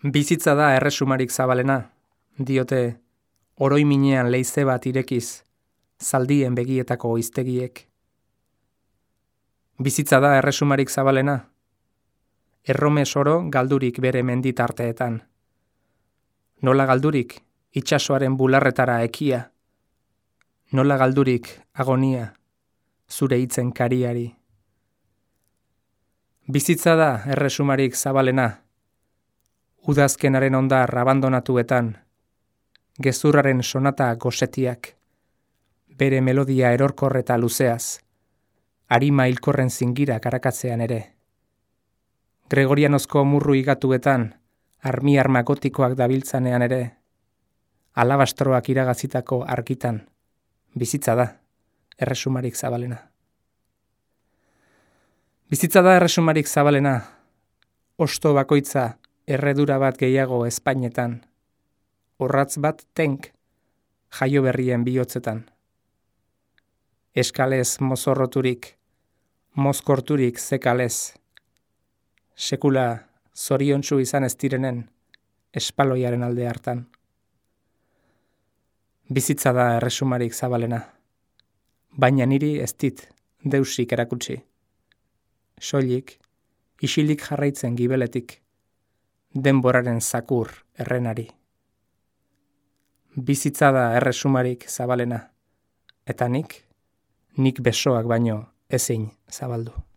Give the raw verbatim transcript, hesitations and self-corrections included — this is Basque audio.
Bizitza da erresumarik zabalena, diote oroiminean leize bat irekiz, zaldien begietako oiztegiek. Bizitza da erresumarik zabalena, erromes oro galdurik bere menditarteetan. Nola galdurik itsasoaren bularretara ekia, nola galdurik agonia zure hitzen kariari. Bizitza da erresumarik zabalena, udazkenaren ondar abandonatuetan, gezurraren sonata gosetiak, bere melodia erorkor eta luzeaz, arima hilkorren zingira karakatzean ere. Gregorianozko murru igatuetan, armi arma gotikoak dabiltzanean ere, alabastroak iragazitako argitan, bizitza da erresumarik zabalena. Bizitza da erresumarik zabalena, osto bakoitza erredura bat gehiago Espainetan, orratz bat tenk jaio berrien bihotzetan. Eskalez mozorroturik, mozkorturik zekalez, sekula zoriontsu izan ez direnen espaloiaren alde hartan. Bizitza da erresumarik zabalena, baina niri ez dit deusik erakutsi. Soilik, isilik jarraitzen gibeletik, denboraren zakur errenari. Bizitza da erresumarik zabalena, eta nik, nik besoak baino ezin zabaldu.